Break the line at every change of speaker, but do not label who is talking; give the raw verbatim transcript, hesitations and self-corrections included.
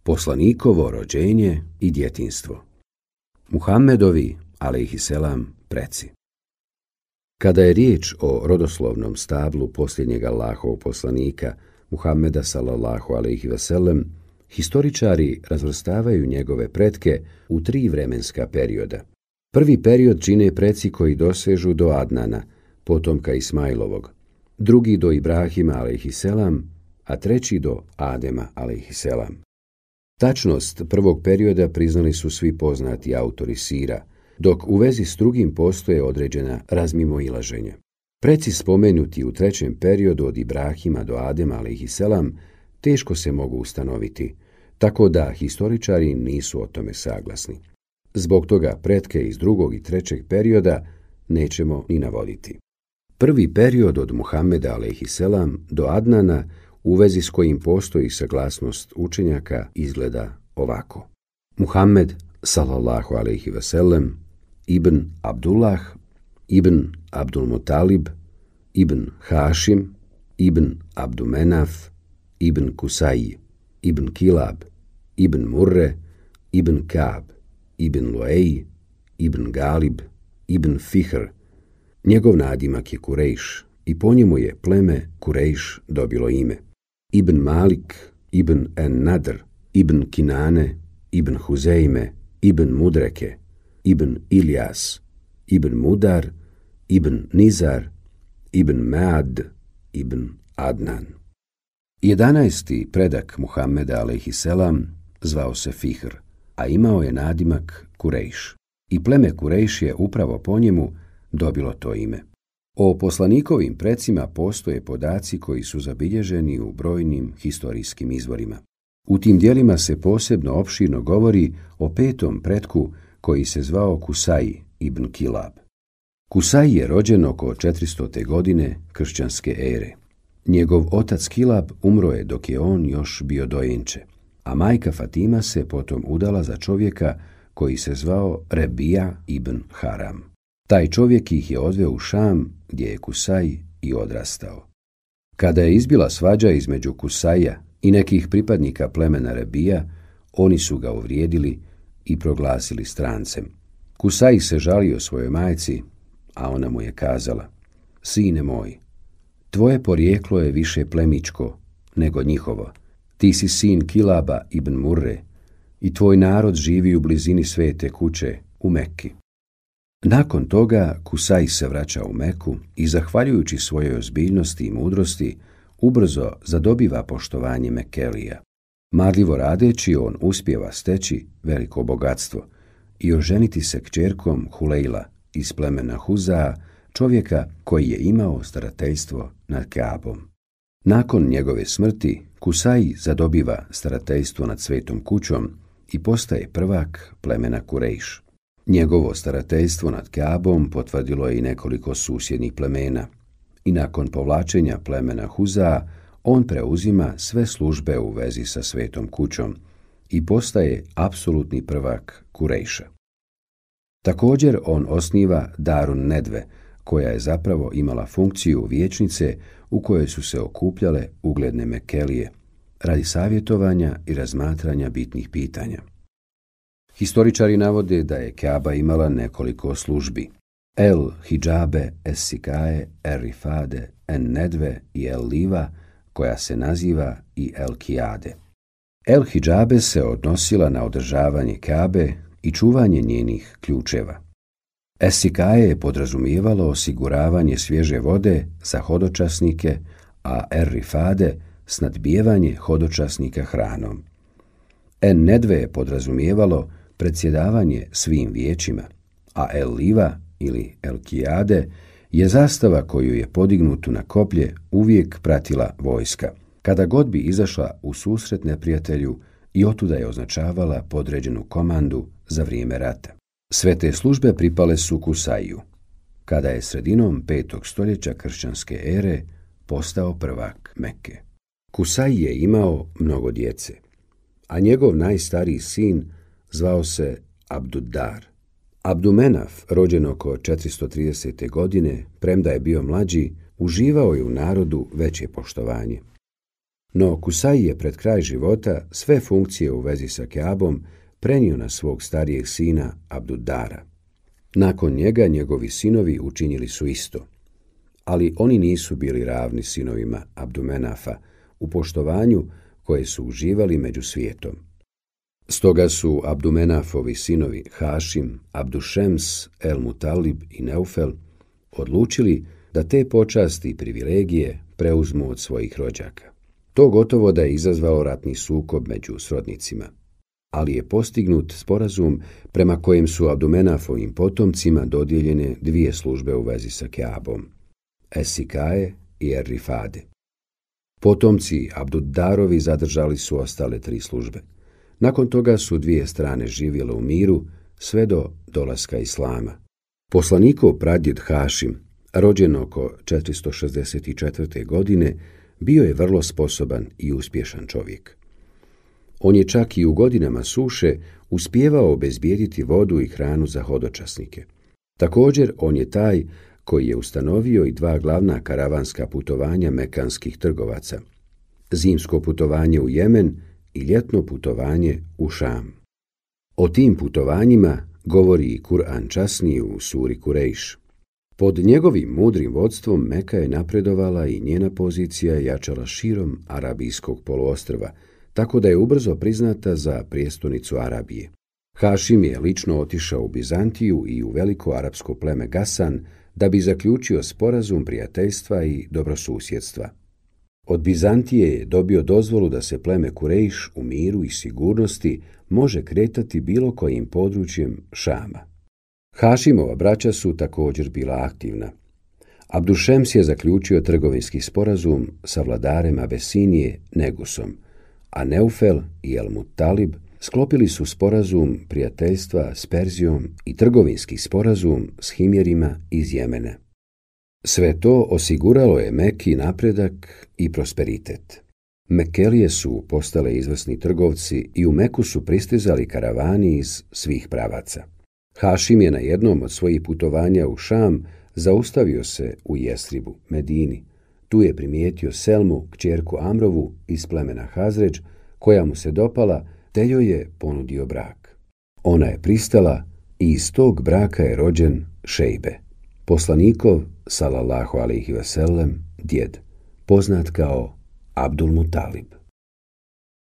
Poslanikovo rođenje i djetinjstvo. Muhammedovi, alejhiselam, preci. Kada je riječ o rodoslovnom stablu posljednjeg Allahovog poslanika, Muhammeda sallallahu alejhi ve sellem, historičari razvrstavaju njegove pretke u tri vremenska perioda. Prvi period čine preci koji dosežu do Adnana, potomka Ismailovog, drugi do Ibrahima alejhiselam, a treći do Adema alejhiselam. Tačnost prvog perioda priznali su svi poznati autori sira, dok u vezi s drugim postoje određena razmimoilaženja. Preci spomenuti u trećem periodu od Ibrahima do Adema alejhiselam teško se mogu ustanoviti, tako da historičari nisu o tome saglasni. Zbog toga pretke iz drugog i trećeg perioda nećemo ni navoditi. Prvi period od Muhammeda alejhiselam do Adnana, u vezi s kojim postoji saglasnost učenjaka, izgleda ovako. Muhammed sallallahu alejhi ve sellem, ibn Abdullah, ibn Abdul Mutalib, ibn Hašim, ibn Abdumenaf, ibn Kusaj, ibn Kilab, ibn Murre, ibn Kab, ibn Luej, ibn Galib, ibn Fihr. Njegov nadimak je Kurejš i po njemu je pleme Kurejš dobilo ime. Ibn Malik, ibn En-Nadr, ibn Kinane, ibn Huzejme, ibn Mudreke, ibn Iljas, ibn Mudar, ibn Nizar, ibn Mead, ibn Adnan. Jedanaesti predak Muhammeda alejhiselam zvao se Fihr, a imao je nadimak Kurejš i pleme Kurejš je upravo po njemu dobilo to ime. O poslanikovim precima postoje podaci koji su zabilježeni u brojnim historijskim izvorima. U tim dijelima se posebno opširno govori o petom pretku koji se zvao Kusaj ibn Kilab. Kusaj je rođen oko četiristote godine kršćanske ere. Njegov otac Kilab umro je dok je on još bio dojenče, a majka Fatima se potom udala za čovjeka koji se zvao Rebija ibn Haram. Taj čovjek ih je odveo u Šam, gdje je Kusaj i odrastao. Kada je izbila svađa između Kusaja i nekih pripadnika plemena Rebija, oni su ga uvrijedili i proglasili strancem. Kusaj se žalio svojoj majci, a ona mu je kazala: Sine moj, tvoje porijeklo je više plemičko nego njihovo. Ti si sin Kilaba ibn Murre i tvoj narod živi u blizini svete kuće u Mekki. Nakon toga Kusaj se vraća u Meku i, zahvaljujući svojoj ozbiljnosti i mudrosti, ubrzo zadobiva poštovanje Mekelija. Marljivo radeći, on uspijeva steći veliko bogatstvo i oženiti se kćerkom Hulejla iz plemena Huzaa, čovjeka koji je imao starateljstvo nad Kaabom. Nakon njegove smrti, Kusaj zadobiva starateljstvo nad svetom kućom i postaje prvak plemena Kurejš. Njegovo starateljstvo nad Kaabom potvrdilo je i nekoliko susjednih plemena i nakon povlačenja plemena Huzaa on preuzima sve službe u vezi sa svetom kućom i postaje apsolutni prvak Kurejša. Također on osniva Darun Nedve, koja je zapravo imala funkciju vijećnice u kojoj su se okupljale ugledne Mekelije radi savjetovanja i razmatranja bitnih pitanja. Historičari navode da je Kaaba imala nekoliko službi: El Hidžabe, Es Sikaje, El Rifade, En Nedve i El Liva, koja se naziva i El Kijade. El Hidžabe se odnosila na održavanje Kaabe i čuvanje njenih ključeva. Es Sikaje je podrazumijevalo osiguravanje svježe vode za hodočasnike, a El Rifade snadbijevanje hodočasnika hranom. En Nedve je podrazumijevalo predsjedavanje svim vijećima, a El Liva ili El Kijade je zastava koju je podignutu na koplje uvijek pratila vojska, kada god bi izašla u susret neprijatelju, i otuda je označavala podređenu komandu za vrijeme rata. Sve te službe pripale su Kusaju, kada je sredinom petog stoljeća kršćanske ere postao prvak Mekke. Kusaj je imao mnogo djece, a njegov najstariji sin zvao se Abduddar. Abdumenaf, rođen oko četiristo tridesete. godine, premda je bio mlađi, uživao je u narodu veće poštovanje. No Kusaj je pred kraj života sve funkcije u vezi sa Kjabom prenio na svog starijeg sina Abduddara. Nakon njega njegovi sinovi učinili su isto, ali oni nisu bili ravni sinovima Abdumenafa u poštovanju koje su uživali među svijetom. Stoga su Abdumenafovi sinovi Hašim, Abdušems, El Mutalib i Neufel odlučili da te počasti i privilegije preuzmu od svojih rođaka. To gotovo da je izazvalo ratni sukob među srodnicima, ali je postignut sporazum prema kojem su Abdumenafovim potomcima dodijeljene dvije službe u vezi sa Kjabom, Esikaje i Er-Rifade. Potomci Abduddarovi zadržali su ostale tri službe. Nakon toga su dvije strane živjele u miru sve do dolaska Islama. Poslanikov pradjed Hašim, rođen oko četiristo šezdeset četvrte. godine, bio je vrlo sposoban i uspješan čovjek. On je čak i u godinama suše uspijevao obezbijediti vodu i hranu za hodočasnike. Također, on je taj koji je ustanovio i dva glavna karavanska putovanja mekanskih trgovaca, zimsko putovanje u Jemen i ljetno putovanje u Šam. O tim putovanjima govori i Kur'an časni u suri Kurejš. Pod njegovim mudrim vodstvom Meka je napredovala i njena pozicija je jačala širom Arabijskog poluostrva, tako da je ubrzo priznata za prijestolnicu Arabije. Hašim je lično otišao u Bizantiju i u veliko arapsko pleme Gasan da bi zaključio sporazum prijateljstva i dobrosusjedstva. Od Bizantije je dobio dozvolu da se pleme Kurejš u miru i sigurnosti može kretati bilo kojim područjem Šama. Hašimova braća su također bila aktivna. Abdušems je zaključio trgovinski sporazum sa vladarem Abesinije Negusom, a Neufel i El Mutalib sklopili su sporazum prijateljstva s Perzijom i trgovinski sporazum s Himjerima iz Jemena. Sve to osiguralo je Meki napredak i prosperitet. Mekelije su postale izvrsni trgovci i u Meku su pristizali karavani iz svih pravaca. Hašim je na jednom od svojih putovanja u Šam zaustavio se u Jesribu, Medini. Tu je primijetio Selmu, kćerku Amrovu iz plemena Hazređ, koja mu se dopala, te joj je ponudio brak. Ona je pristala i iz tog braka je rođen Šejbe, poslanikov, salallahu alejhi ve sellem, djed, poznat kao Abdul Mutalib.